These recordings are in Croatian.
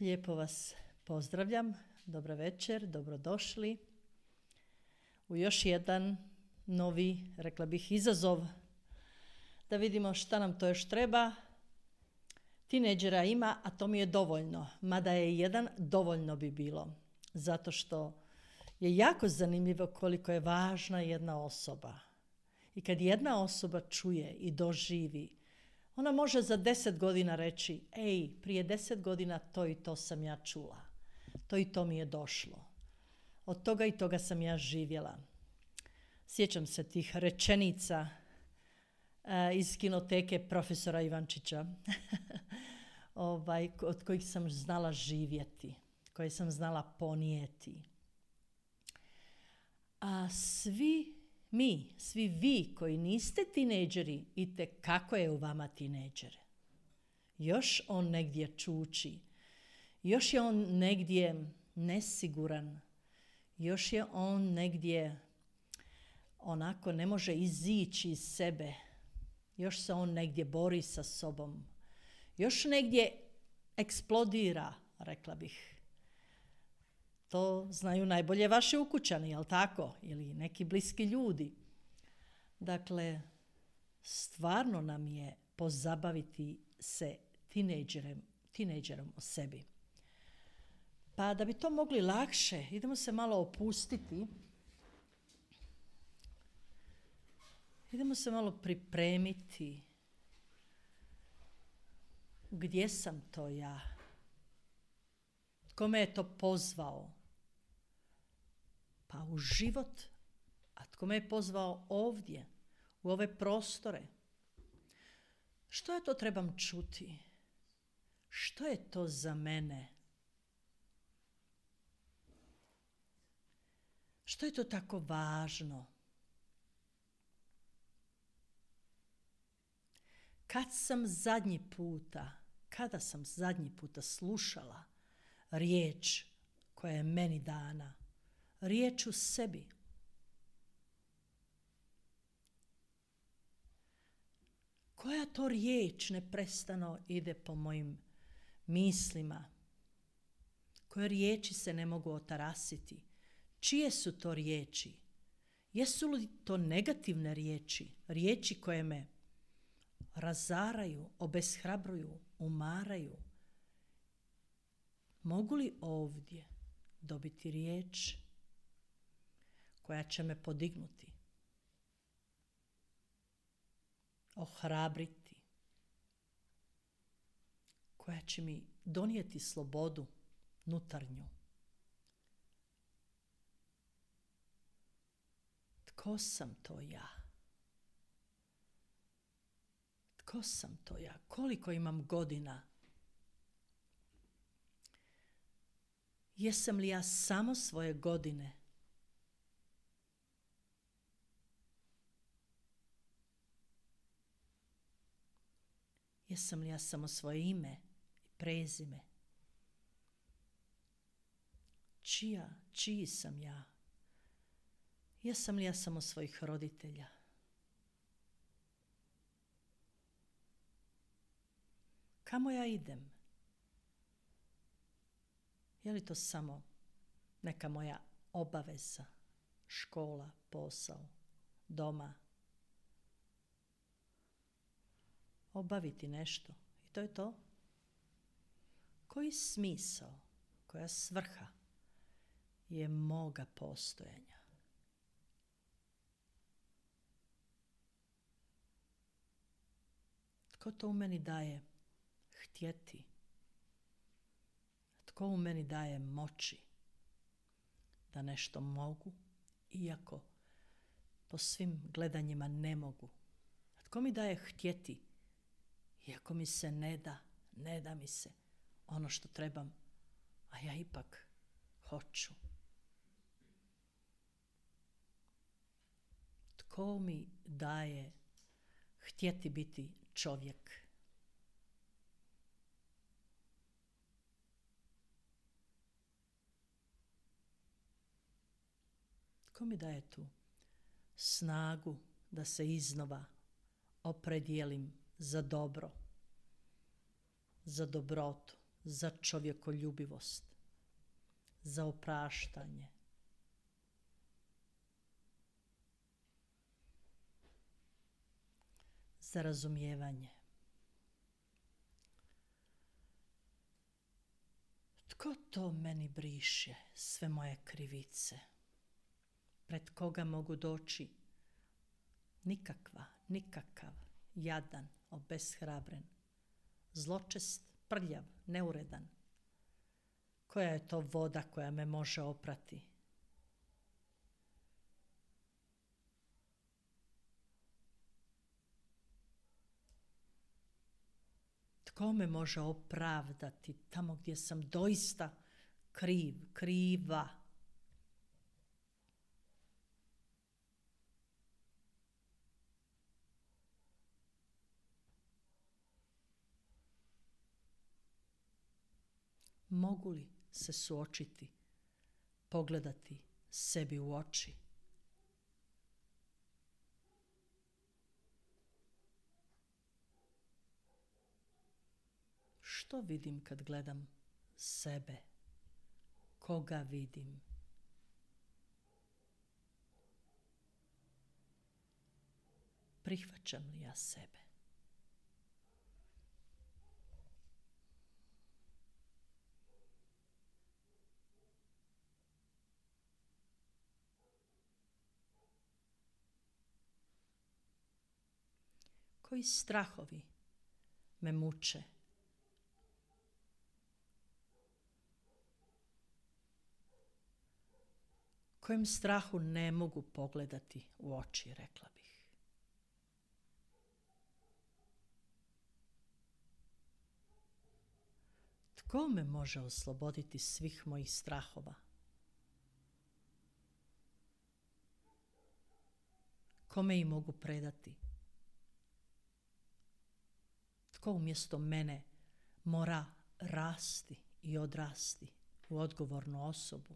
Lijepo vas pozdravljam, dobra večer, dobrodošli u još jedan novi, rekla bih, izazov da vidimo šta nam to još treba. Tinejdžera ima, a to mi je dovoljno, mada je jedan dovoljno bi bilo, zato što je jako zanimljivo koliko je važna jedna osoba. I kad jedna osoba čuje i doživi, ona može za 10 godina reći, prije 10 godina to i to sam ja čula. To i to mi je došlo. Od toga i toga sam ja živjela. Sjećam se tih rečenica iz kinoteke profesora Ivančića, od kojih sam znala živjeti, koje sam znala ponijeti. A svi vi koji niste tinejdžeri, itekako je u vama tinejdžer. Još on negdje čuči, još je on negdje nesiguran, još je on negdje onako ne može izići iz sebe, još se on negdje bori sa sobom, još negdje eksplodira, rekla bih. To znaju najbolje vaši ukućani, jel tako? Ili neki bliski ljudi. Dakle, stvarno nam je pozabaviti se tinejdžerom o sebi. Pa da bi to mogli lakše, idemo se malo opustiti. Idemo se malo pripremiti. Gdje sam to ja? Tko me je to pozvao? Pa u život. A tko me je pozvao ovdje, u ove prostore? Što ja to trebam čuti? Što je to za mene? Što je to tako važno? Kada sam zadnji puta slušala riječ koja je meni dana, riječ u sebi? Koja to riječ neprestano ide po mojim mislima? Koje riječi se ne mogu otarasiti? Čije su to riječi? Jesu li to negativne riječi? Riječi koje me razaraju, obeshrabruju, umaraju? Mogu li ovdje dobiti riječ koja će me podignuti, ohrabriti, koja će mi donijeti slobodu nutarnju? Tko sam to ja? Tko sam to ja? Koliko imam godina? Jesam li ja samo svoje godine? Jesam li ja samo svoje ime i prezime? Čiji sam ja? Jesam li ja samo svojih roditelja? Kamo ja idem? Je li to samo neka moja obaveza, škola, posao, doma? Obaviti nešto i to je to? Koji smisao, koja svrha je moga postojanja? Tko to u meni daje htjeti? Tko u meni daje moći da nešto mogu, iako po svim gledanjima ne mogu? Tko mi daje htjeti, iako mi se ne da mi se ono što trebam, a ja ipak hoću? Tko mi daje htjeti biti čovjek? Tko mi daje tu snagu da se iznova opredijelim za dobro, za dobrotu, za čovjekoljubivost, za opraštanje. Za razumijevanje. Tko to meni briše sve moje krivice? Pred koga mogu doći? Nikakav, jadan, obeshrabren, zločest, prljav, neuredan. Koja je to voda koja me može oprati? Tko me može opravdati tamo gdje sam doista kriva? Mogu li se suočiti, pogledati sebi u oči? Što vidim kad gledam sebe? Koga vidim? Prihvaćam li ja sebe? Koji strahovi me muče? Kojem strahu ne mogu pogledati u oči, rekla bih. Tko me može osloboditi svih mojih strahova? Kome ih mogu predati? Tko umjesto mene mora rasti i odrasti u odgovornu osobu?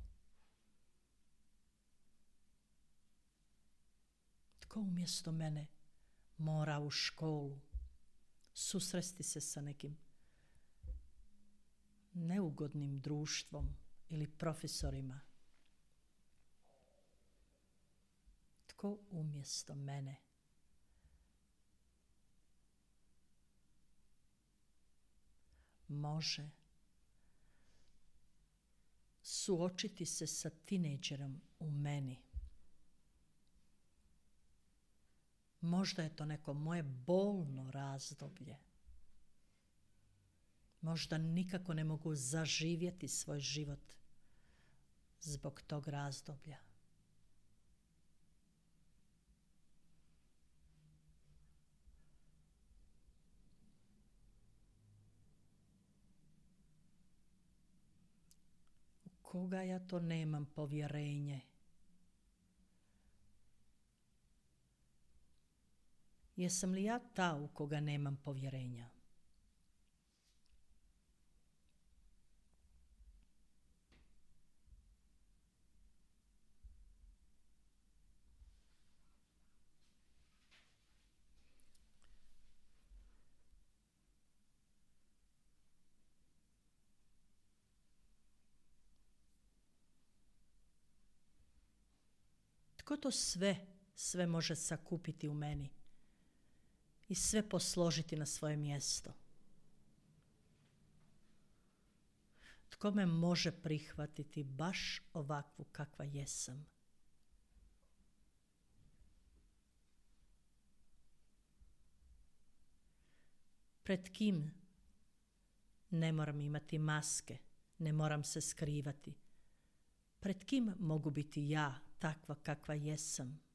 Tko umjesto mene mora u školu susresti se sa nekim neugodnim društvom ili profesorima? Tko umjesto mene može suočiti se sa tinejdžerom u meni? Možda je to neko moje bolno razdoblje. Možda nikako ne mogu zaživjeti svoj život zbog tog razdoblja. U koga ja to nemam povjerenje? Jesam li ja ta u koga nemam povjerenja? Tko to sve može sakupiti u meni i sve posložiti na svoje mjesto? Tko me može prihvatiti baš ovakvu kakva jesam? Pred kim ne moram imati maske, ne moram se skrivati? Pred kim mogu biti ja, takva kakva jesam?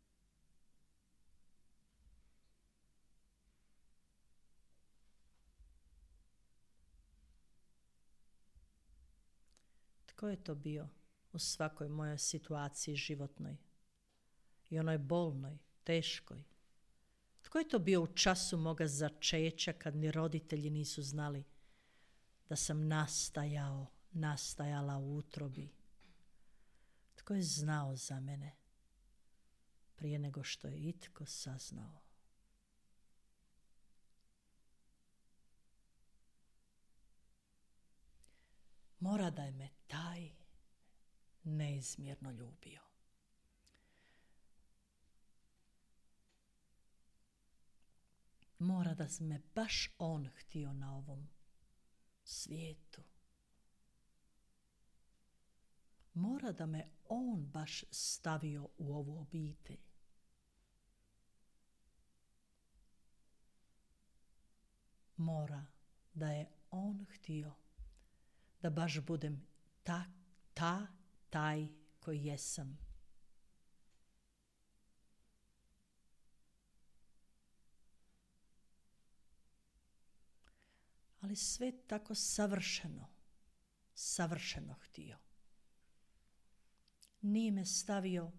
Tko je to bio u svakoj mojoj situaciji životnoj i onoj bolnoj, teškoj? Tko je to bio u času moga začeća kad ni roditelji nisu znali da sam nastajala u utrobi? Tko je znao za mene prije nego što je itko saznao? Mora da je me taj neizmjerno ljubio. Mora da me baš on htio na ovom svijetu. Mora da me on baš stavio u ovu obitelj. Mora da je on htio da baš budem taj koji jesam. Ali sve tako savršeno htio. Nije me stavio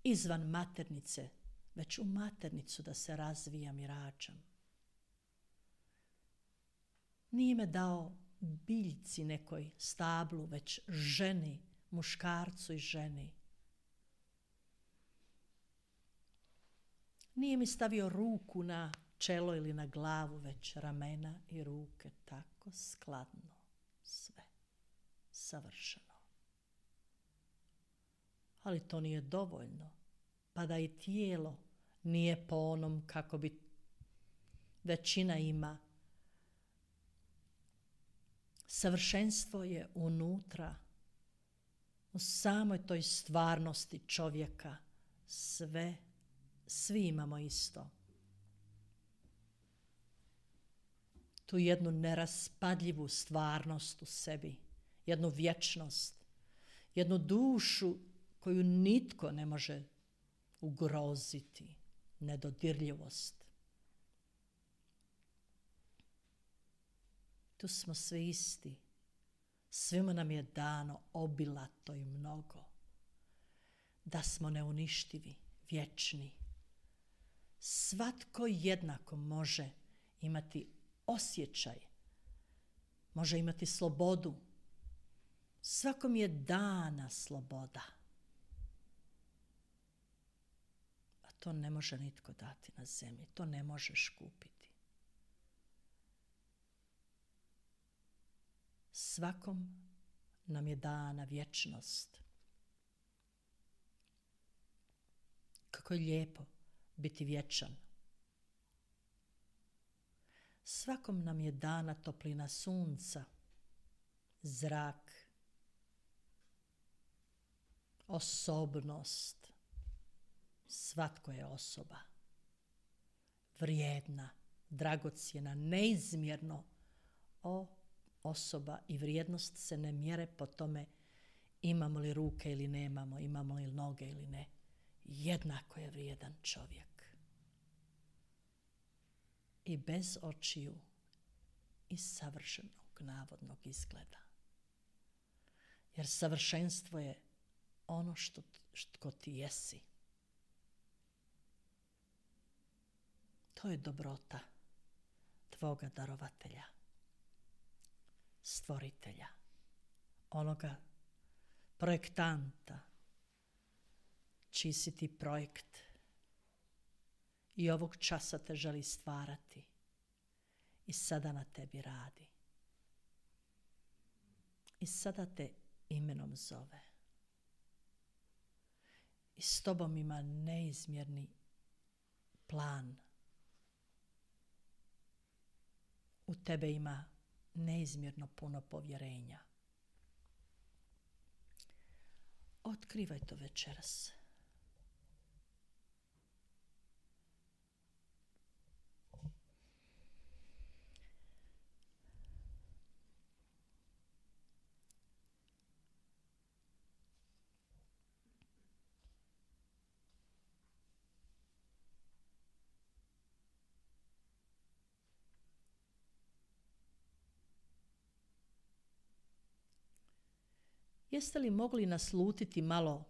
izvan maternice, već u maternicu da se razvijam i rađam. Nije me dao biljci nekoj stablu, već ženi, muškarcu i ženi. Nije mi stavio ruku na čelo ili na glavu, već ramena i ruke, tako skladno, sve savršeno. Ali to nije dovoljno, pa da i tijelo nije po onom kako bi većina ima. Savršenstvo je unutra, u samoj toj stvarnosti čovjeka. Svi imamo isto. Tu jednu neraspadljivu stvarnost u sebi, jednu vječnost, jednu dušu koju nitko ne može ugroziti, nedodirljivost. Tu smo svi isti. Svima nam je dano obilato i mnogo. Da smo neuništivi, vječni. Svatko jednako može imati osjećaj, može imati slobodu. Svakom je dana sloboda. A to ne može nitko dati na zemlji, to ne možeš kupiti. Svakom nam je dana vječnost. Kako je lijepo biti vječan. Svakom nam je dana toplina sunca, zrak, osobnost. Svatko je osoba. Vrijedna, dragocjena, neizmjerno osoba i vrijednost se ne mjere po tome imamo li ruke ili nemamo, imamo li noge ili ne. Jednako je vrijedan čovjek. I bez očiju i savršenog navodnog izgleda. Jer savršenstvo je ono što ti jesi. To je dobrota tvoga darovatelja, stvoritelja, onoga projektanta, čiji si ti projekt i ovog časa te želi stvarati i sada na tebi radi. I sada te imenom zove. I s tobom ima neizmjerni plan. U tebe ima neizmjerno puno povjerenja. Otkrivaj to večeras. Jeste li mogli naslutiti malo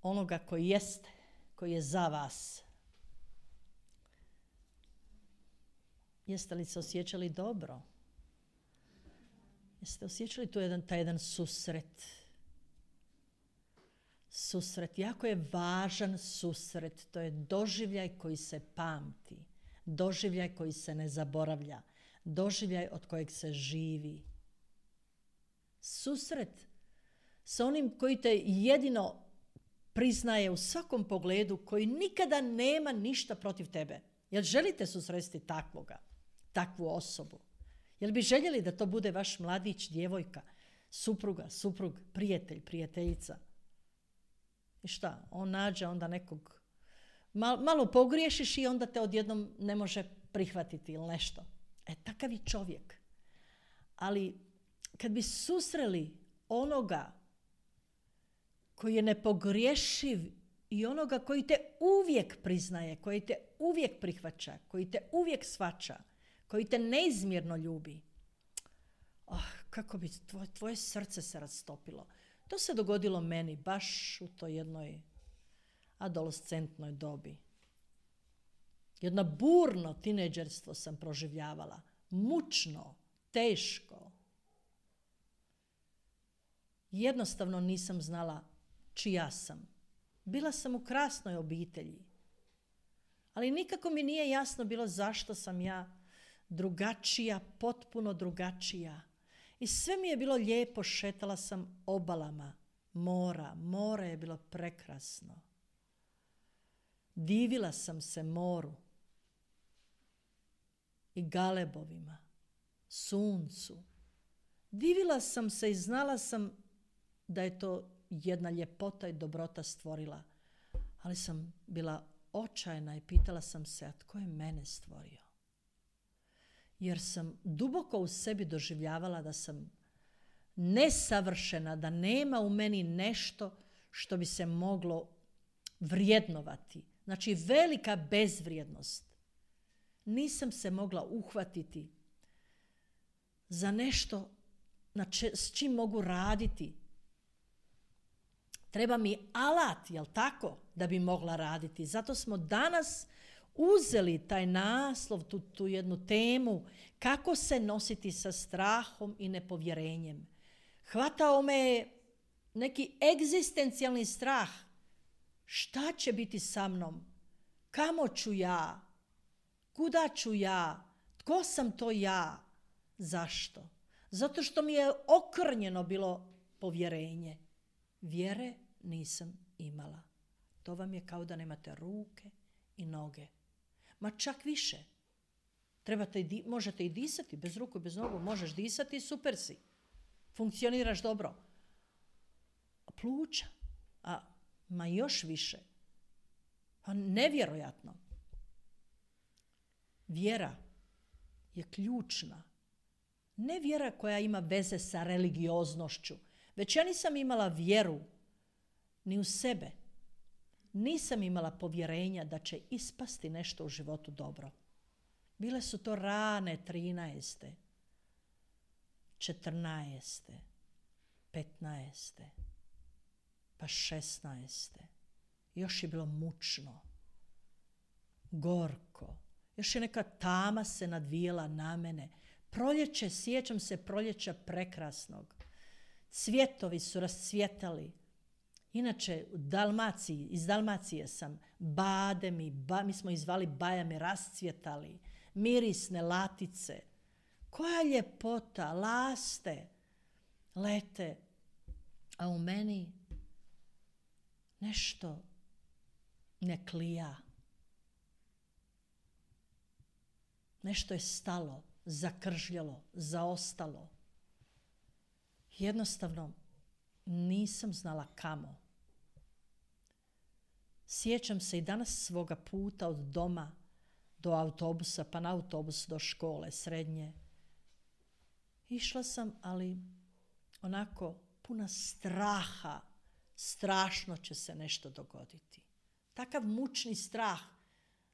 onoga koji jeste, koji je za vas? Jeste li se osjećali dobro? Jeste osjećali tu taj jedan susret? Susret, jako je važan susret, to je doživljaj koji se pamti, doživljaj koji se ne zaboravlja, doživljaj od kojeg se živi. susret sa onim koji te jedino priznaje u svakom pogledu, koji nikada nema ništa protiv tebe. Jel želite susresti takvu osobu? Jel bi željeli da to bude vaš mladić, djevojka, supruga, suprug, prijatelj, prijateljica? I šta? On nađe onda nekog, malo pogriješiš i onda te odjednom ne može prihvatiti ili nešto. Takav je čovjek. Ali kad bi susreli onoga koji je nepogriješiv i onoga koji te uvijek priznaje, koji te uvijek prihvaća, koji te uvijek shvaća, koji te neizmjerno ljubi, kako bi tvoje srce se rastopilo. To se dogodilo meni baš u toj jednoj adolescentnoj dobi. Jedno burno tinejdžerstvo sam proživljavala. Mučno, teško. Jednostavno nisam znala čija sam. Bila sam u krasnoj obitelji. Ali nikako mi nije jasno bilo zašto sam ja drugačija, potpuno drugačija. I sve mi je bilo lijepo, šetala sam obalama mora. More je bilo prekrasno. Divila sam se moru i galebovima, suncu. Divila sam se i znala sam da je to jedna ljepota i dobrota stvorila. Ali sam bila očajna i pitala sam se, a tko je mene stvorio? Jer sam duboko u sebi doživljavala da sam nesavršena, da nema u meni nešto što bi se moglo vrijednovati. Znači velika bezvrijednost. Nisam se mogla uhvatiti za nešto s čim mogu raditi. Treba mi alat, jel tako, da bi mogla raditi. Zato smo danas uzeli taj naslov, tu jednu temu, kako se nositi sa strahom i nepovjerenjem. Hvatao me neki egzistencijalni strah. Šta će biti sa mnom? Kamo ću ja? Kuda ću ja? Tko sam to ja? Zašto? Zato što mi je okrnjeno bilo povjerenje. Vjere nisam imala. To vam je kao da nemate ruke i noge. Ma čak više. Možete i disati bez ruku i bez nogu. Možeš disati i super si. Funkcioniraš dobro. Pluća. Ma još više. Nevjerojatno. Vjera je ključna. Ne vjera koja ima veze sa religioznošću. Već ja nisam imala vjeru ni u sebe. Nisam imala povjerenja da će ispasti nešto u životu dobro. Bile su to rane 13., 14., 15., pa 16. Još je bilo mučno, gorko. Još je neka tama se nadvijela na mene. Proljeće, sjećam se proljeća prekrasnog. Cvjetovi su rascvjetali. Inače, iz Dalmacije sam, bade mi smo ih zvali bajame, rascvjetali, mirisne latice. Koja ljepota, laste, lete, a u meni nešto ne klija. Nešto je stalo, zakržljalo, zaostalo. Jednostavno nisam znala kamo. Sjećam se i danas svoga puta od doma do autobusa, pa na autobus do škole srednje. Išla sam, ali onako puna straha. Strašno će se nešto dogoditi. Takav mučni strah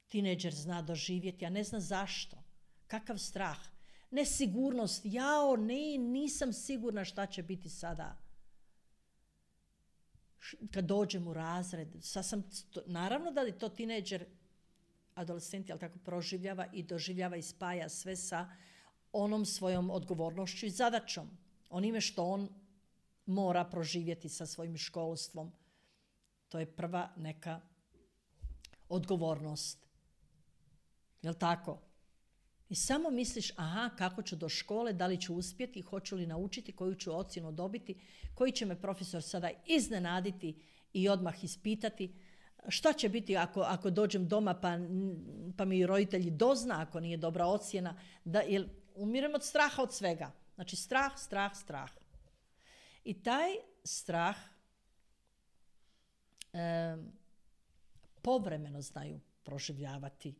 tinejdžer zna doživjeti, a ne zna zašto. Kakav strah? Nesigurnost. Nisam sigurna šta će biti sada. Kad dođem u razred, naravno da je to tinejdžer, adolescent, ali tako proživljava i doživljava i spaja sve sa onom svojom odgovornošću i zadaćom. Onime što on mora proživjeti sa svojim školstvom. To je prva neka odgovornost. Jel tako? I samo misliš, aha, kako ću do škole, da li ću uspjeti, hoću li naučiti, koju ću ocjenu dobiti, koji će me profesor sada iznenaditi i odmah ispitati. Šta će biti ako dođem doma pa mi roditelji dozna ako nije dobra ocjena, jer umirem od straha od svega. Znači strah. I taj strah povremeno znaju proživljavati.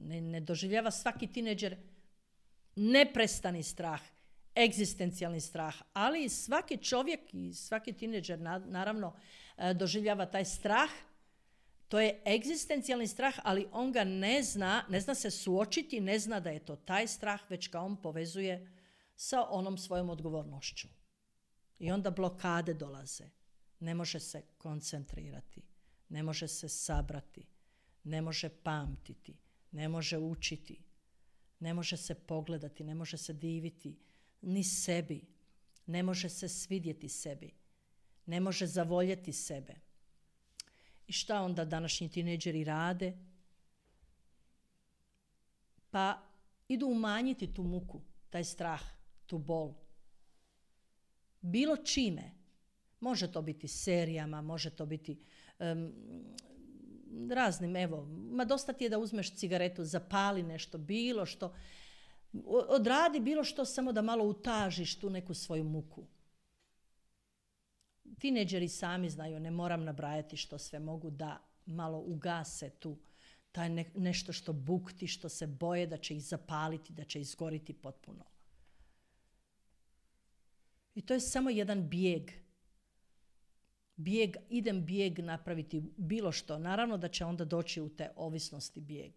Ne doživljava svaki tineđer neprestani strah, egzistencijalni strah, ali svaki čovjek i svaki tineđer naravno doživljava taj strah. To je egzistencijalni strah, ali on ga ne zna se suočiti, ne zna da je to taj strah, već ga on povezuje sa onom svojom odgovornošću. I onda blokade dolaze. Ne može se koncentrirati, ne može se sabrati, ne može pamtiti, ne može učiti, ne može se pogledati, ne može se diviti ni sebi, ne može se svidjeti sebi, ne može zavoljeti sebe. I šta onda današnji tineđeri rade? Pa idu umanjiti tu muku, taj strah, tu bol. Bilo čime. Može to biti serijama, može to biti raznim, dosta ti je da uzmeš cigaretu, zapali nešto, bilo što, odradi bilo što samo da malo utažiš tu neku svoju muku. Tineđeri sami znaju, ne moram nabrajati što sve mogu da malo ugase tu, taj nešto što bukti, što se boje da će ih zapaliti, da će izgoriti potpuno. I to je samo jedan bijeg. Idem bijeg napraviti bilo što. Naravno da će onda doći u te ovisnosti bijeg.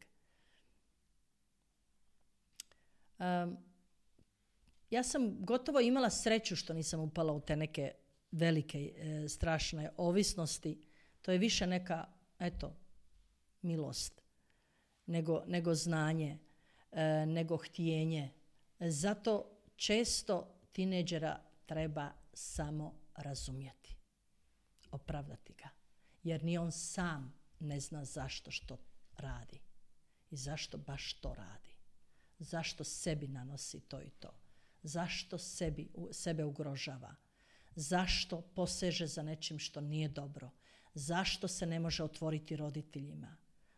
Ja sam gotovo imala sreću što nisam upala u te neke velike, strašne ovisnosti. To je više neka, milost, nego znanje, nego htjenje. Zato često tineđera treba samo razumjeti, opravdati ga. Jer ni on sam ne zna zašto što radi i zašto baš to radi. Zašto sebi nanosi to i to. Zašto sebe ugrožava. Zašto poseže za nečim što nije dobro. Zašto se ne može otvoriti roditeljima.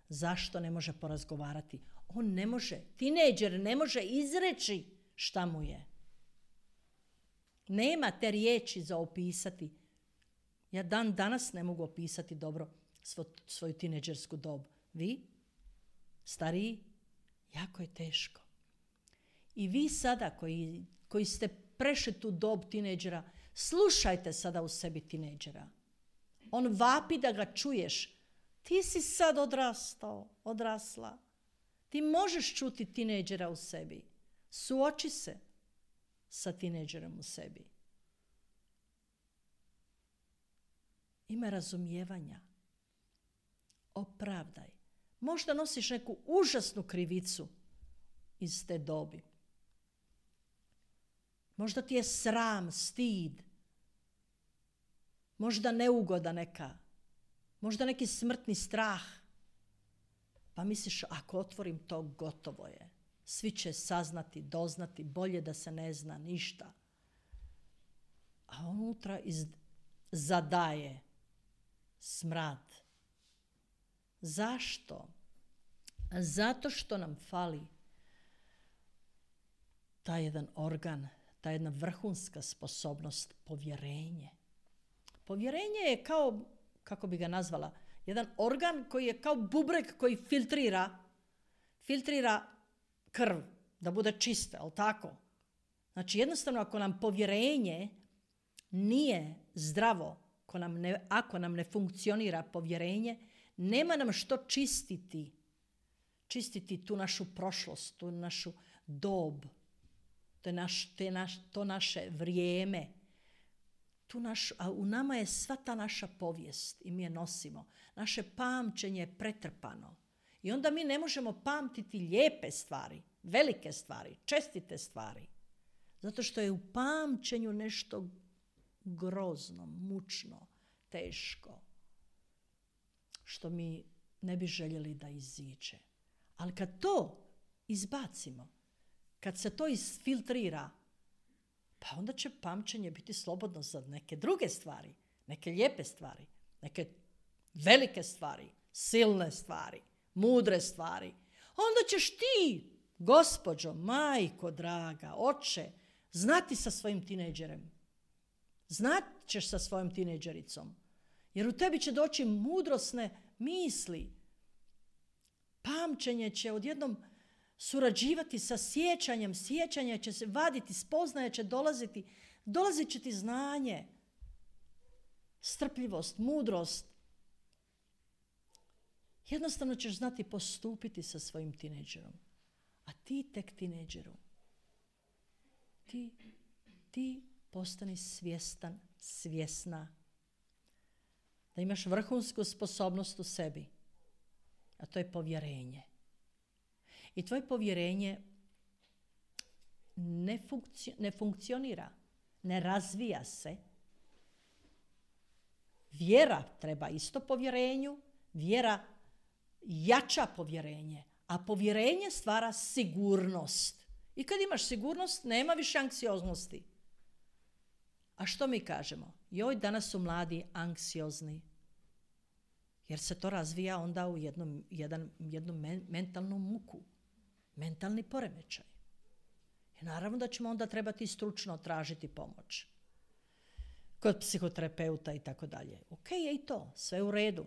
Zašto ne može porazgovarati. On ne može, tinejdžer ne može izreći šta mu je. Nema te riječi za opisati. Ja dan danas ne mogu opisati dobro svoju tinejdžersku dob. Vi, stariji, jako je teško. I vi sada koji ste prešli tu dob tinejdžera, slušajte sada u sebi tinejdžera. On vapi da ga čuješ. Ti si sad odrasla. Ti možeš čuti tinejdžera u sebi. Suoči se sa tinejdžerom u sebi. Ima razumijevanja. Opravdaj. Možda nosiš neku užasnu krivicu iz te dobi. Možda ti je sram, stid. Možda neugoda neka. Možda neki smrtni strah. Pa misliš, ako otvorim to, gotovo je. Svi će saznati, doznati, bolje da se ne zna ništa. A unutra zadaje smrad. Zašto? Zato što nam fali taj jedan organ, ta jedna vrhunska sposobnost, povjerenje. Povjerenje je kao, kako bi ga nazvala, jedan organ koji je kao bubreg koji filtrira krv, da bude čista, ali tako? Znači jednostavno ako nam povjerenje nije zdravo, ako nam ne funkcionira povjerenje, nema nam što čistiti tu našu prošlost, tu našu dob, to naše vrijeme. A u nama je sva ta naša povijest i mi je nosimo. Naše pamćenje je pretrpano. I onda mi ne možemo pamtiti lijepe stvari, velike stvari, čestite stvari. Zato što je u pamćenju nešto grozno, mučno, teško. Što mi ne bi željeli da iziđe. Ali kad to izbacimo, kad se to isfiltrira, pa onda će pamćenje biti slobodno za neke druge stvari, neke lijepe stvari, neke velike stvari, silne stvari, mudre stvari. Onda ćeš ti, gospođo, majko draga, oče, znati sa svojim tinejdžerem. Znat ćeš sa svojom tinejdžericom. Jer u tebi će doći mudrosne misli. Pamćenje će odjednom surađivati sa sjećanjem. Sjećanje će se vaditi, spoznaje će dolaziti. Dolazit će ti znanje, strpljivost, mudrost. Jednostavno ćeš znati postupiti sa svojim tinejdžerom. A ti tek tinejdžeru, ti postani svjestan, svjesna da imaš vrhunsku sposobnost u sebi, a to je povjerenje. I tvoje povjerenje ne funkcionira, ne razvija se. Vjera treba isto povjerenju, vjera jača povjerenje, a povjerenje stvara sigurnost. I kad imaš sigurnost, nema više anksioznosti. A što mi kažemo? Joj, danas su mladi anksiozni. Jer se to razvija onda u jednu mentalnu muku. Mentalni poremećaj. I naravno da ćemo onda trebati stručno tražiti pomoć. Kod psihoterapeuta i tako dalje. Ok je i to, sve u redu.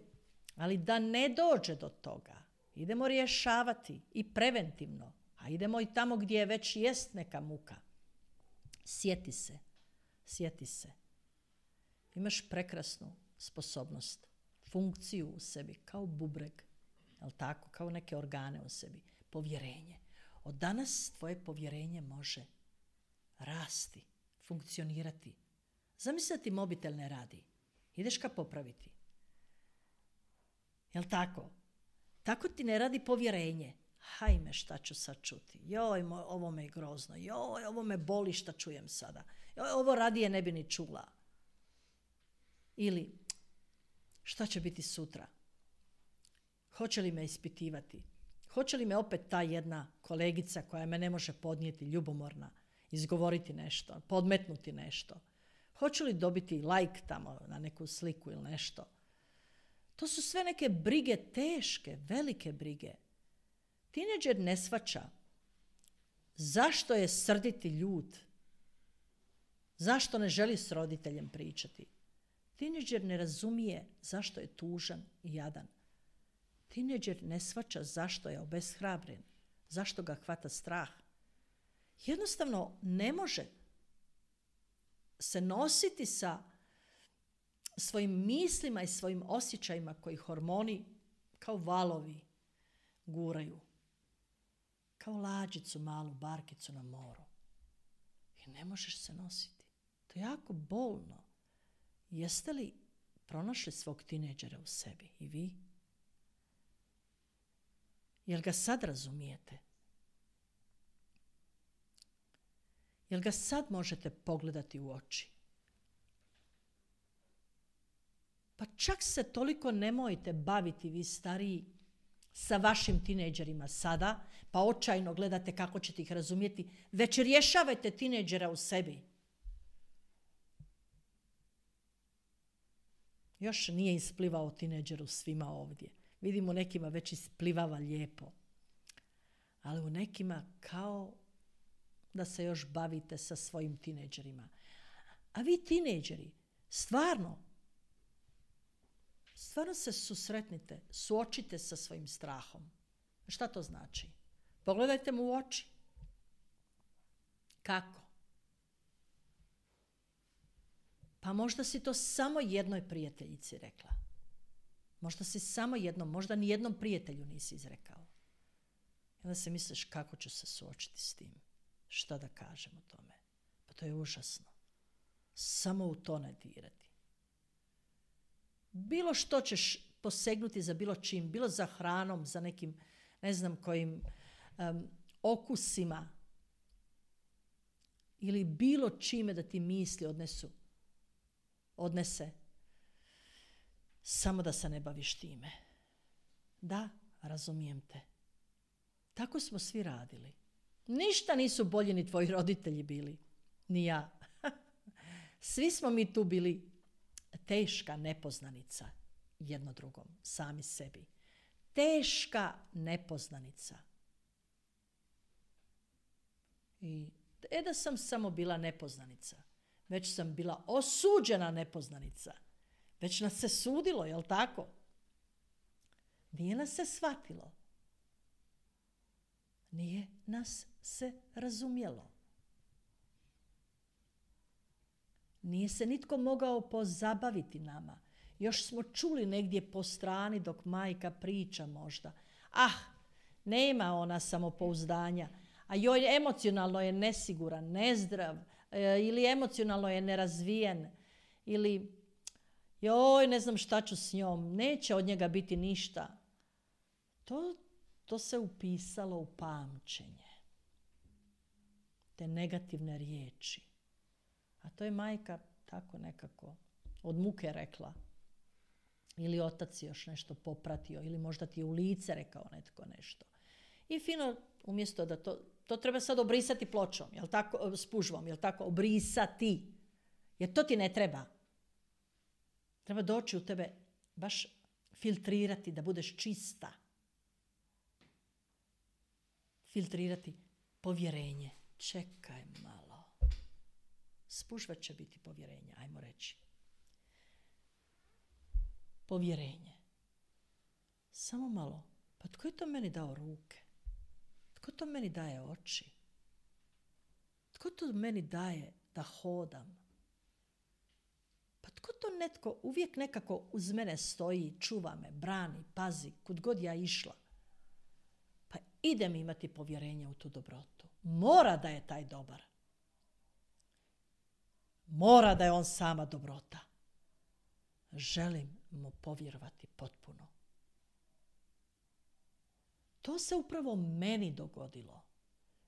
Ali da ne dođe do toga, idemo rješavati i preventivno. A idemo i tamo gdje već jest neka muka. Sjeti se. Imaš prekrasnu sposobnost, funkciju u sebi, kao bubreg, jel tako, kao neke organe u sebi. Povjerenje. Od danas tvoje povjerenje može rasti, funkcionirati. Zamisli da ti mobitel ne radi. Ideš ga popraviti. Jel tako? Tako ti ne radi povjerenje. Hajme, šta ću sad čuti? Joj, ovo me je grozno. Joj, ovo me boli šta čujem sada. Joj, ovo radije ne bi ni čula. Ili, šta će biti sutra? Hoće li me ispitivati? Hoće li me opet ta jedna kolegica koja me ne može podnijeti, ljubomorna, izgovoriti nešto, podmetnuti nešto? Hoće li dobiti like tamo na neku sliku ili nešto? To su sve neke brige, teške, velike brige. Tinejdžer ne shvaća zašto je srditi ljut, zašto ne želi s roditeljem pričati. Tinejdžer ne razumije zašto je tužan i jadan. Tinejdžer ne shvaća zašto je obeshrabren, zašto ga hvata strah. Jednostavno ne može se nositi sa svojim mislima i svojim osjećajima koji hormoni kao valovi guraju. Kao lađicu, malu barkicu na moru. I ne možeš se nositi. To je jako bolno. Jeste li pronašli svog tinejdžera u sebi i vi? Jel ga sad razumijete? Jel ga sad možete pogledati u oči? Pa čak se toliko nemojte baviti vi stariji sa vašim tinejdžerima sada, pa očajno gledate kako ćete ih razumjeti, već rješavajte tinejdžera u sebi. Još nije isplivao tinejdžer u svima ovdje. Vidimo nekima već isplivava lijepo. Ali u nekima kao da se još bavite sa svojim tinejdžerima. A vi tinejdžeri, stvarno se susretnite, suočite sa svojim strahom. Šta to znači? Pogledajte mu u oči. Kako? Pa možda si to samo jednoj prijateljici rekla. Možda si samo jednom, možda ni jednom prijatelju nisi izrekao. I onda se misliš kako ću se suočiti s tim. Šta da kažem o tome? Pa to je užasno. Samo u to ne dirati. Bilo što ćeš posegnuti za bilo čim, bilo za hranom, za nekim, ne znam kojim okusima ili bilo čime da ti misli odnese, samo da se ne baviš time. Da, razumijem te. Tako smo svi radili. Ništa nisu bolji ni tvoji roditelji bili, ni ja. Svi smo mi tu bili teška nepoznanica jedno drugom, sami sebi. Teška nepoznanica. I da sam samo bila nepoznanica, već sam bila osuđena nepoznanica. Već nas se sudilo, jel tako? Nije nas se shvatilo. Nije nas se razumjelo. Nije se nitko mogao pozabaviti nama. Još smo čuli negdje po strani dok majka priča možda. Nema ona samopouzdanja. A joj, emocionalno je nesiguran, nezdrav, ili emocionalno je nerazvijen, ili joj, ne znam šta ću s njom, neće od njega biti ništa. To se upisalo u pamćenje. Te negativne riječi. A to je majka tako nekako od muke rekla. Ili otac još nešto popratio, ili možda ti je u lice rekao netko nešto. I fino, umjesto da to treba sad obrisati pločom, jel tako, spužvom, jel tako, obrisati. Jer to ti ne treba. Treba doći u tebe, baš filtrirati, da budeš čista. Filtrirati povjerenje. Čekaj malo. Spužva će biti povjerenje, ajmo reći. Povjerenje. Samo malo. Pa tko je to meni dao ruke? Tko to meni daje oči? Tko to meni daje da hodam? Pa tko to netko uvijek nekako uz mene stoji, čuva me, brani, pazi, kud god ja išla? Pa idem imati povjerenje u tu dobrotu. Mora da je taj dobar. Mora da je on sama dobrota. Želim mu povjerovati potpuno. To se upravo meni dogodilo.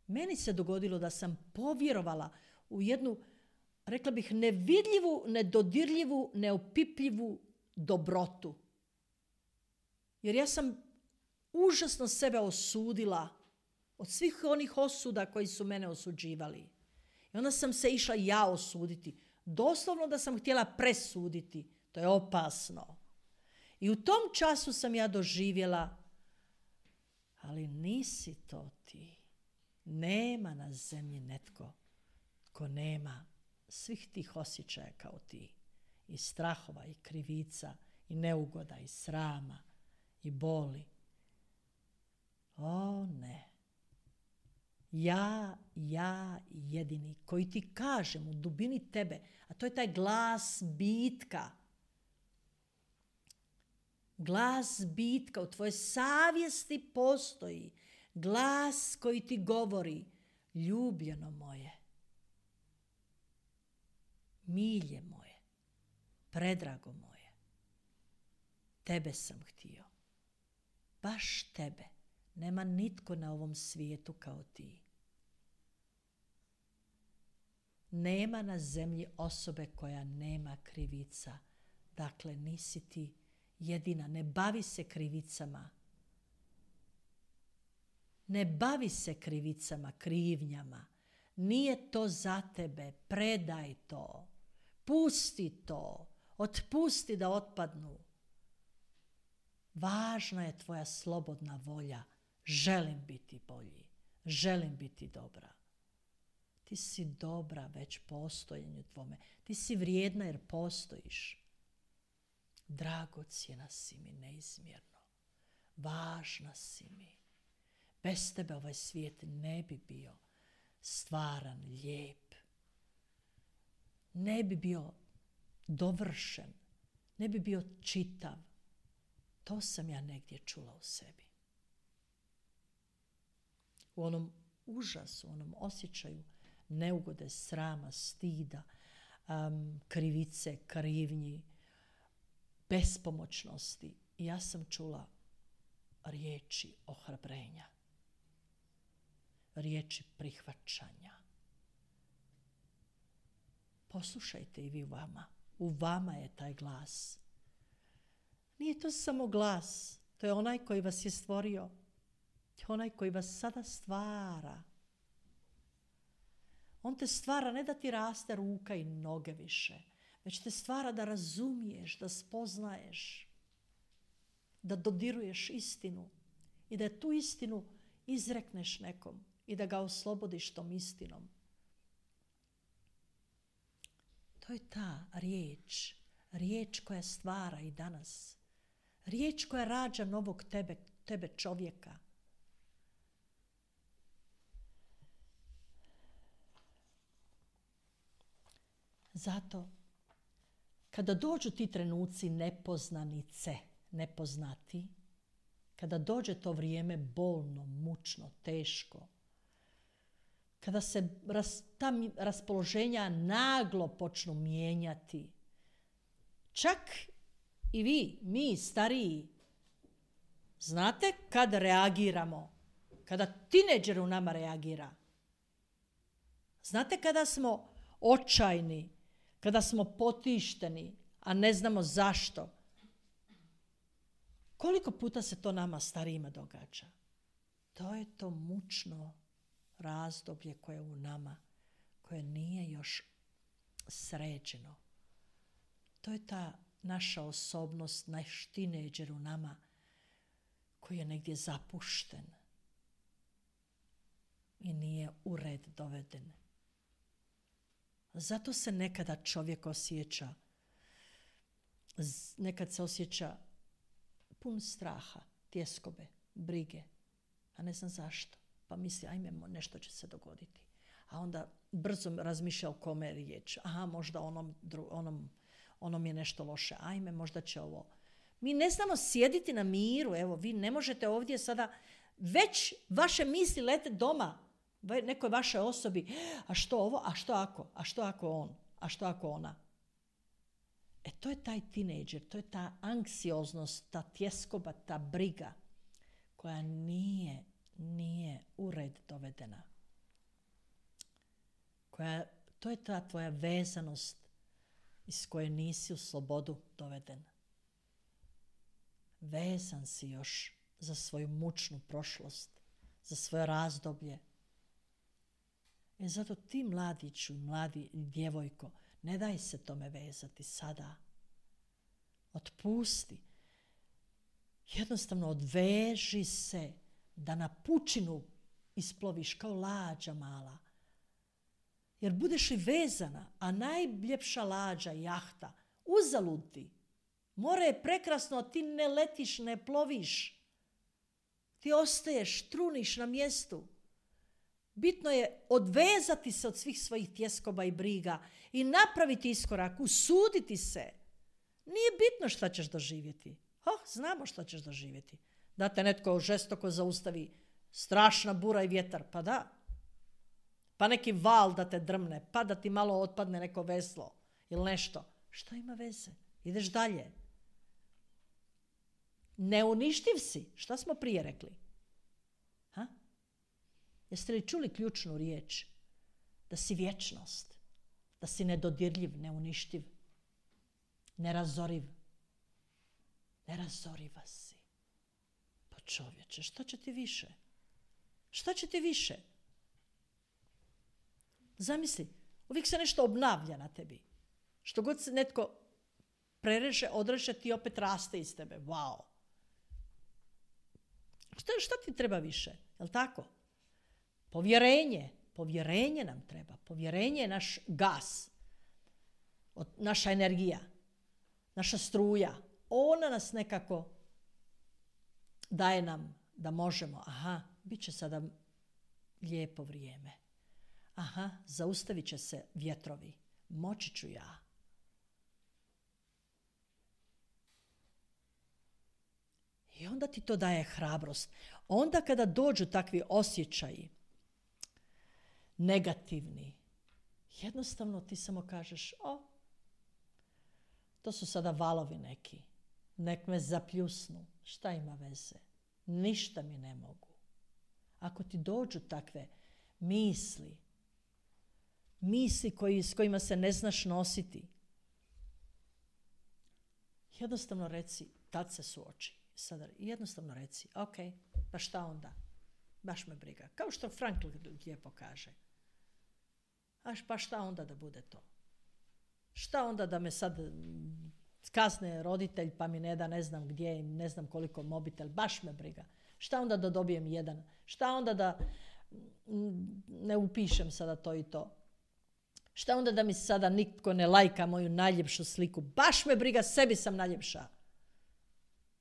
Meni se dogodilo da sam povjerovala u jednu, rekla bih, nevidljivu, nedodirljivu, neopipljivu dobrotu. Jer ja sam užasno sebe osudila od svih onih osuda koji su mene osuđivali. I onda sam se išla ja osuditi. Doslovno da sam htjela presuditi. To je opasno. I u tom času sam ja doživjela, ali nisi to ti. Nema na zemlji netko ko nema svih tih osjećaja kao ti. I strahova, i krivica, i neugoda, i srama, i boli. O ne. Ja jedini koji ti kažem u dubini tebe, a to je taj glas bitka. Glas bitka u tvojoj savjesti postoji. Glas koji ti govori, ljubljeno moje, milje moje, predrago moje, tebe sam htio. Baš tebe. Nema nitko na ovom svijetu kao ti. Nema na zemlji osobe koja nema krivica. Dakle, nisi ti jedina. Ne bavi se krivicama. Ne bavi se krivicama, krivnjama. Nije to za tebe. Predaj to. Pusti to. Otpusti da otpadnu. Važna je tvoja slobodna volja. Želim biti bolji. Želim biti dobra. Ti si dobra već postojenju tvome. Ti si vrijedna jer postojiš. Dragocjena si mi neizmjerno. Važna si mi. Bez tebe ovaj svijet ne bi bio stvaran, lijep. Ne bi bio dovršen. Ne bi bio čitav. To sam ja negdje čula u sebi. U onom užasu, u onom osjećaju neugode, srama, stida, krivice, krivnji, bespomoćnosti. I ja sam čula riječi ohrabrenja, riječi prihvaćanja. Poslušajte i vi u vama je taj glas. Nije to samo glas, to je onaj koji vas je stvorio, onaj koji vas sada stvara. On te stvara ne da ti raste ruka i noge više, već te stvara da razumiješ, da spoznaješ, da dodiruješ istinu i da tu istinu izrekneš nekom i da ga oslobodiš tom istinom. To je ta riječ koja stvara i danas. Riječ koja rađa novog tebe čovjeka. Zato, kada dođu ti trenuci nepoznanice, nepoznati, kada dođe to vrijeme bolno, mučno, teško, kada se ta raspoloženja naglo počnu mijenjati, čak i vi, mi stariji, znate kad reagiramo, kada tinejdžer u nama reagira. Znate kada smo očajni, kada smo potišteni, a ne znamo zašto. Koliko puta se to nama starijima događa? To je to mučno razdoblje koje je u nama, koje nije još sređeno. To je ta naša osobnost, naš tinejdžer u nama koji je negdje zapušten i nije u red doveden. Zato se nekada čovjek osjeća, nekad se osjeća pun straha, tjeskobe, brige, a ne znam zašto. Pa misli, ajme, nešto će se dogoditi. A onda brzo razmišlja o kome je riječ. Aha, možda onom je nešto loše. Ajme, možda će ovo. Mi ne znamo sjediti na miru. Evo, vi ne možete ovdje sada, već vaše misli lete doma, nekoj vašoj osobi. A što ovo? A što ako? A što ako on? A što ako ona? To je taj tinejdžer, to je ta anksioznost, ta tjeskoba, ta briga koja nije u red dovedena. To je ta tvoja vezanost iz koje nisi u slobodu doveden. Vezan si još za svoju mučnu prošlost, za svoje razdoblje. Zato ti mladiću, mladi djevojko, ne daj se tome vezati sada. Otpusti. Jednostavno odveži se da na pučinu isploviš kao lađa mala. Jer budeš li vezana, a najljepša lađa, jahta, uzalud ti. More je prekrasno, a ti ne letiš, ne ploviš. Ti ostaješ, truniš na mjestu. Bitno je odvezati se od svih svojih tjeskoba i briga i napraviti iskorak, usuditi se. Nije bitno šta ćeš doživjeti. Znamo šta ćeš doživjeti. Da te netko žestoko zaustavi, strašna bura i vjetar, pa da. Pa neki val da te drmne, pa da ti malo otpadne neko veslo ili nešto. Šta ima veze? Ideš dalje. Neuništiv si. Šta smo prije rekli? Jeste li čuli ključnu riječ? Da si vječnost. Da si nedodirljiv, neuništiv. Nerazoriv. Nerazoriva si. Pa čovječe, šta će ti više? Šta će ti više? Zamisli, uvijek se nešto obnavlja na tebi. Što god se netko prereže, odreže, ti opet raste iz tebe. Wow. Šta ti treba više? Jel' tako? Povjerenje nam treba. Povjerenje je naš gas, naša energija, naša struja. Ona nas nekako daje nam da možemo. Bit će sada lijepo vrijeme. Zaustavit će se vjetrovi. Moći ću ja. I onda ti to daje hrabrost. Onda kada dođu takvi osjećaji, negativni, jednostavno ti samo kažeš, to su sada valovi neki, nek me zapljusnu, šta ima veze, ništa mi ne mogu. Ako ti dođu takve misli s kojima se ne znaš nositi, jednostavno reci, tad se suoči. Sada jednostavno reci, ok, pa šta onda? Baš me briga. Kao što Frankl lijepo kaže. Pa šta onda da bude to? Šta onda da me sad kazne roditelj pa mi ne da ne znam gdje, ne znam koliko mobitel, baš me briga. Šta onda da dobijem jedan? Šta onda da ne upišem sada to i to? Šta onda da mi sada nitko ne lajka moju najljepšu sliku? Baš me briga, sebi sam najljepša.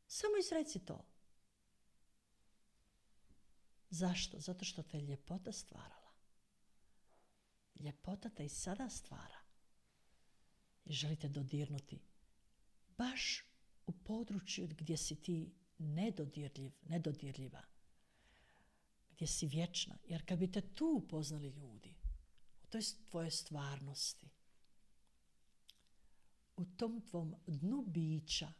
Samo izreci to. Zašto? Zato što te je ljepota stvarala. Ljepota te i sada stvara. I želite dodirnuti baš u području gdje si ti nedodirljiva. Gdje si vječna. Jer kad bi te tu upoznali ljudi, u toj tvojoj stvarnosti, u tom tvom dnu bića,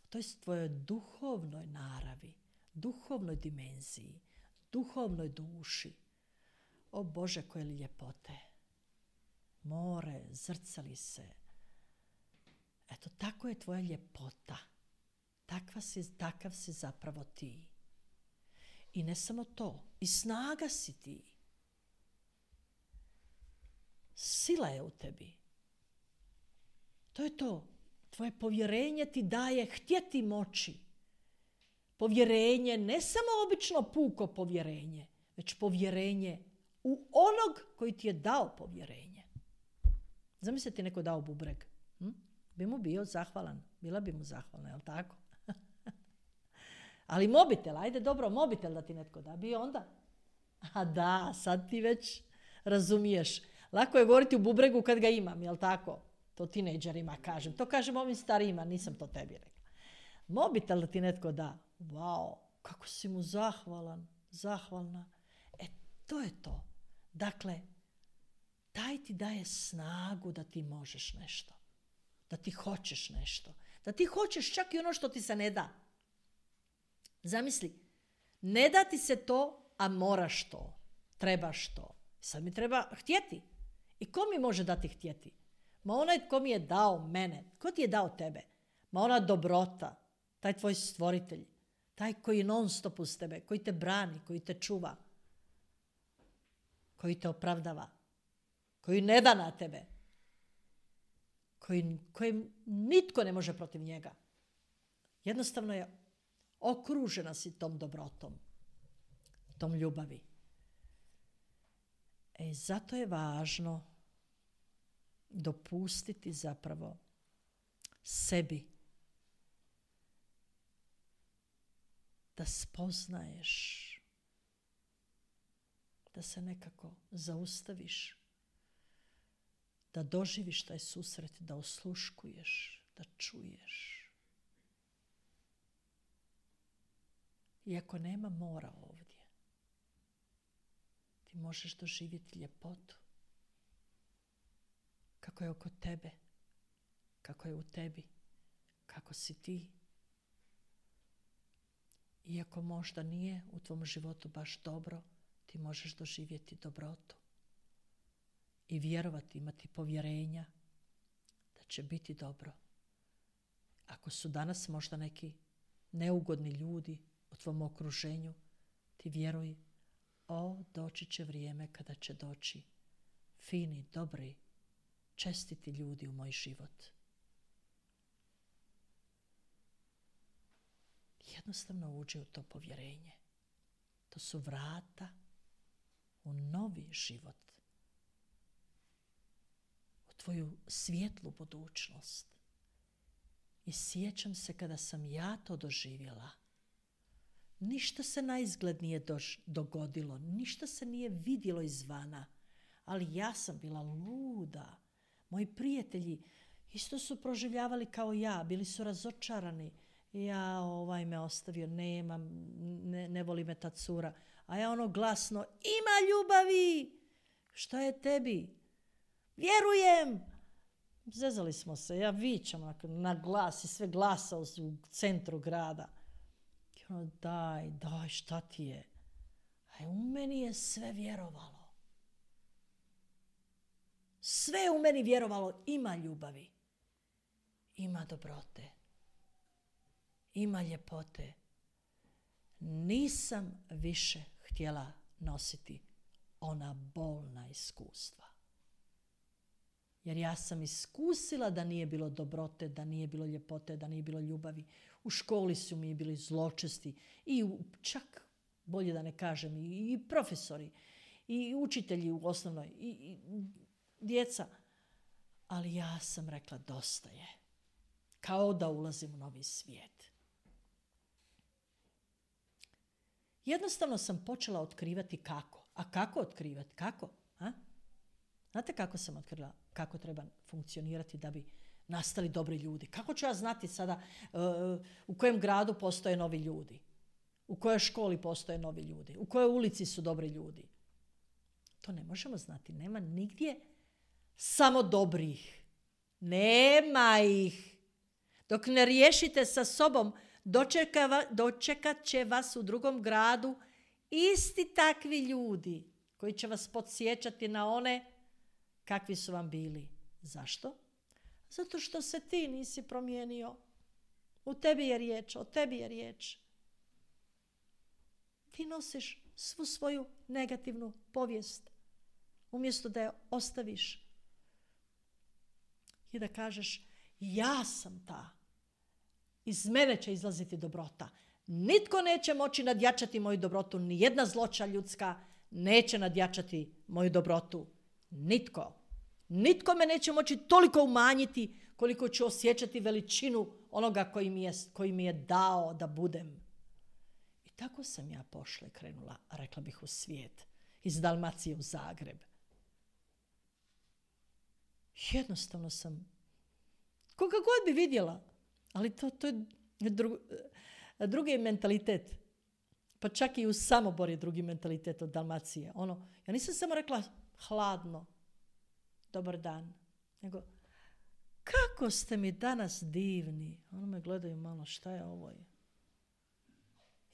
u toj tvojoj duhovnoj naravi, duhovnoj dimenziji, duhovnoj duši, o Bože, koje li ljepote. More, zrcali se. Eto, tako je tvoja ljepota. Takav si zapravo ti. I ne samo to, i snaga si ti. Sila je u tebi. To je to. Tvoje povjerenje ti daje htjeti moći. Povjerenje, ne samo obično puko povjerenje, već povjerenje u onog koji ti je dao povjerenje. Zamisli ti neko dao bubreg. Bi mu bio zahvalan. Bila bi mu zahvalna, jel tako? Ali mobitel, ajde dobro, mobitel da ti netko da, bi onda. A da, sad ti već razumiješ. Lako je govoriti u bubregu kad ga imam, jel tako? To tinejdžerima kažem. To kažem ovim starijima, nisam to tebi rekla. Mobitel da ti netko da. Wow, kako si mu zahvalan, zahvalna. To je to. Dakle, taj ti daje snagu da ti možeš nešto. Da ti hoćeš nešto. Da ti hoćeš čak i ono što ti se ne da. Zamisli, ne da ti se to, a moraš to. Trebaš to. Sad mi treba htjeti. I ko mi može dati htjeti? Ma onaj tko mi je dao mene. Ko ti je dao tebe? Ma ona dobrota. Taj tvoj stvoritelj. Taj koji non stop uz tebe. Koji te brani, koji te čuva. Koji te opravdava. Koji ne da na tebe. Koji nitko ne može protiv njega. Jednostavno je okružena si tom dobrotom. Tom ljubavi. Zato je važno dopustiti zapravo sebi da spoznaješ, da se nekako zaustaviš, da doživiš taj susret, da osluškuješ, da čuješ. Iako nema mora ovdje, ti možeš doživjeti ljepotu. Kako je oko tebe, kako je u tebi, kako si ti. Iako možda nije u tvom životu baš dobro, ti možeš doživjeti dobrotu. I vjerovati, imati povjerenja da će biti dobro. Ako su danas možda neki neugodni ljudi u tvom okruženju, ti vjeruj, doći će vrijeme kada će doći fini, dobri, čestiti ljudi u moj život. Jednostavno uđi u to povjerenje. To su vrata u novi život. U tvoju svijetlu budućnost. I sjećam se kada sam ja to doživjela. Ništa se naizgled nije dogodilo. Ništa se nije vidjelo izvana. Ali ja sam bila luda. Moji prijatelji isto su proživljavali kao ja. Bili su razočarani. Ja, ovaj me ostavio, nemam, ne voli me ta cura. A ja ono glasno, ima ljubavi! Šta je tebi? Vjerujem! Zezali smo se, ja vičam na glas i sve glasa u centru grada. I ono, daj, šta ti je? A u meni je sve vjerovalo. Sve u meni vjerovalo, ima ljubavi. Ima dobrote. Ima ljepote. Nisam više htjela nositi ona bolna iskustva. Jer ja sam iskusila da nije bilo dobrote, da nije bilo ljepote, da nije bilo ljubavi. U školi su mi bili zločesti i čak, bolje da ne kažem, i profesori, i učitelji u osnovnoj, i djeca. Ali ja sam rekla dosta je. Kao da ulazim u novi svijet. Jednostavno sam počela otkrivati kako. A kako otkrivati? Kako? A? Znate kako sam otkrila? Kako treba funkcionirati da bi nastali dobri ljudi? Kako ću ja znati sada u kojem gradu postoje novi ljudi? U kojoj školi postoje novi ljudi? U kojoj ulici su dobri ljudi? To ne možemo znati. Nema nigdje samo dobrih. Nema ih. Dok ne riješite sa sobom, dočekat će vas u drugom gradu isti takvi ljudi koji će vas podsjećati na one kakvi su vam bili. Zašto? Zato što se ti nisi promijenio. U tebi je riječ, o tebi je riječ. Ti nosiš svu svoju negativnu povijest. Umjesto da je ostaviš i da kažeš ja sam ta. Iz mene će izlaziti dobrota. Nitko neće moći nadjačati moju dobrotu. Nijedna zloća ljudska neće nadjačati moju dobrotu. Nitko. Nitko me neće moći toliko umanjiti koliko ću osjećati veličinu onoga koji mi je dao da budem. I tako sam ja pošla i krenula, rekla bih, u svijet. Iz Dalmacije u Zagreb. Jednostavno sam, koga god bi vidjela, ali to je drugi mentalitet. Pa čak i u Samobor je drugi mentalitet od Dalmacije. Ja nisam samo rekla hladno, dobar dan, nego kako ste mi danas divni. Ono me gledaju malo, šta je ovo?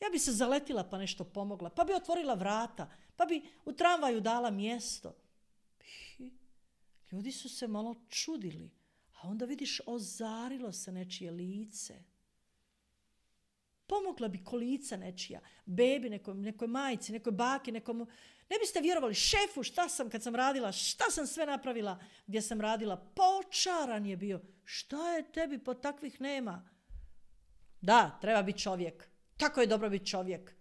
Ja bi se zaletila pa nešto pomogla, pa bi otvorila vrata, pa bi u tramvaju dala mjesto. Ljudi su se malo čudili, a onda vidiš ozarilo se nečije lice. Pomogla bi kolica nečija, bebi, nekoj majci, nekoj baki, nekom... Ne biste vjerovali, šefu, kad sam radila, šta sam sve napravila gdje sam radila. Počaran je bio. Šta je tebi, po takvih nema? Da, treba biti čovjek. Tako je dobro biti čovjek.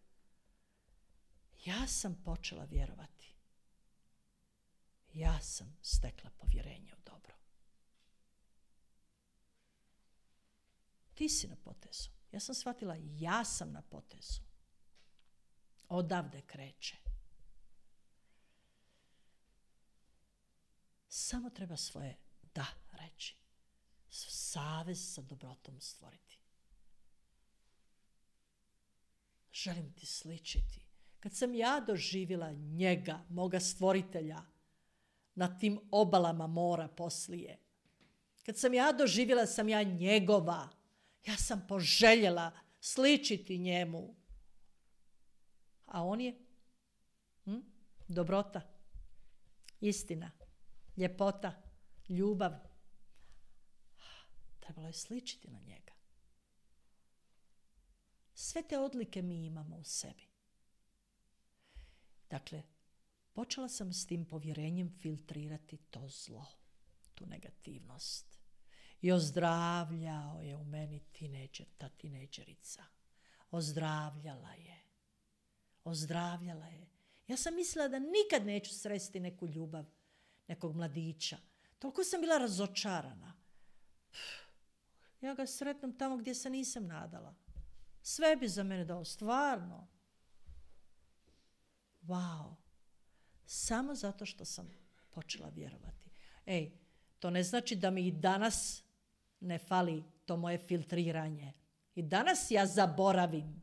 Ja sam počela vjerovati. Ja sam stekla povjerenje u dobro. Ti si na potezu. Ja sam shvatila, ja sam na potezu. Odavde kreće. Samo treba svoje da reći. Savez sa dobrotom stvoriti. Želim ti sličiti. Kad sam ja doživjela njega, moga stvoritelja, na tim obalama mora poslije. Kad sam ja doživjela, sam ja njegova. Ja sam poželjela sličiti njemu. A on je dobrota, istina, ljepota, ljubav. Trebalo je sličiti na njega. Sve te odlike mi imamo u sebi. Dakle, počela sam s tim povjerenjem filtrirati to zlo, tu negativnost. I ozdravljao je u meni ta tinejdžerica. Ozdravljala je. Ja sam mislila da nikad neću sresti neku ljubav, nekog mladića. Toliko sam bila razočarana. Ja ga sretnem tamo gdje se nisam nadala. Sve bi za mene dao, stvarno. Wow. Samo zato što sam počela vjerovati. To ne znači da mi i danas ne fali to moje filtriranje. I danas ja zaboravim.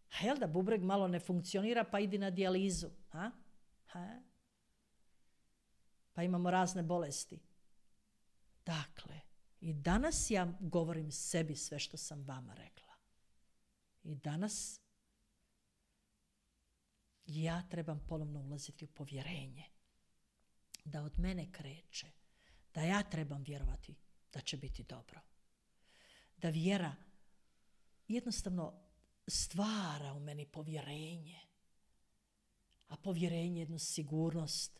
A jel da bubreg malo ne funkcionira, pa idi na dijalizu. Pa imamo razne bolesti. Dakle, i danas ja govorim sebi sve što sam vama rekla. I danas ja trebam ponovno ulaziti u povjerenje. Da od mene kreće. Da ja trebam vjerovati da će biti dobro. Da vjera jednostavno stvara u meni povjerenje. A povjerenje je jednu sigurnost.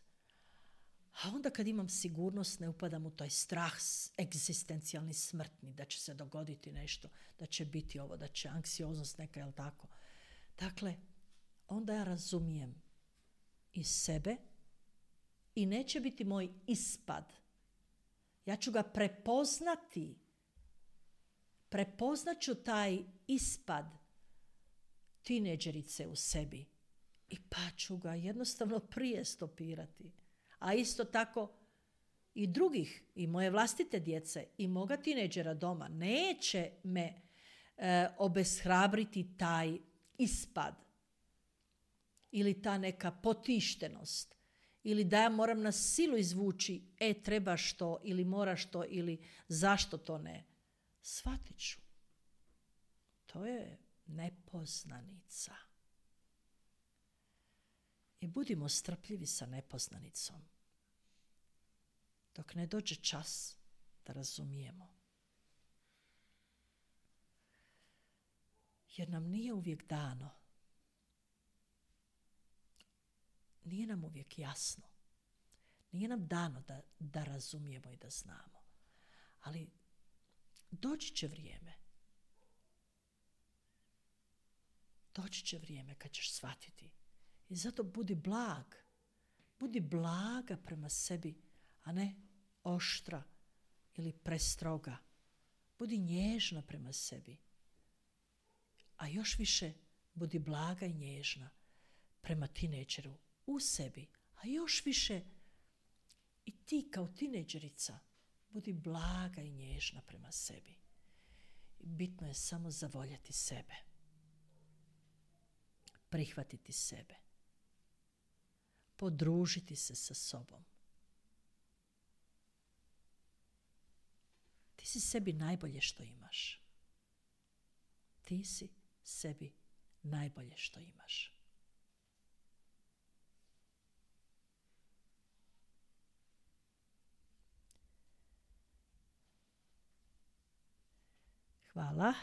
A onda kad imam sigurnost, ne upadam u taj strah egzistencijalni, smrtni, da će se dogoditi nešto, da će biti ovo, da će anksioznost neka, jel tako? Dakle, onda ja razumijem i sebe i neće biti moj ispad. Ja ću ga prepoznati. Prepoznat ću taj ispad tineđerice u sebi i pa ću ga jednostavno prije stopirati. A isto tako i drugih, i moje vlastite djece, i moga tineđera doma. Neće me obeshrabriti taj ispad ili ta neka potištenost ili da ja moram na silu izvući trebaš to ili moraš to ili zašto to ne. Shvatit ću. To je nepoznanica. I budimo strpljivi sa nepoznanicom. Dok ne dođe čas da razumijemo. Jer nam nije uvijek dano. Nije nam uvijek jasno. Nije nam dano da razumijemo i da znamo. Ali doći će vrijeme. Doći će vrijeme kad ćeš shvatiti. I zato budi blag. Budi blaga prema sebi, a ne oštra ili prestroga. Budi nježna prema sebi. A još više budi blaga i nježna prema tineđeru u sebi. A još više i ti kao tineđerica budi blaga i nježna prema sebi. Bitno je samo zavoljeti sebe. Prihvatiti sebe. Podružiti se sa sobom. Ti si sebi najbolje što imaš. Ti si sebi najbolje što imaš. Hvala.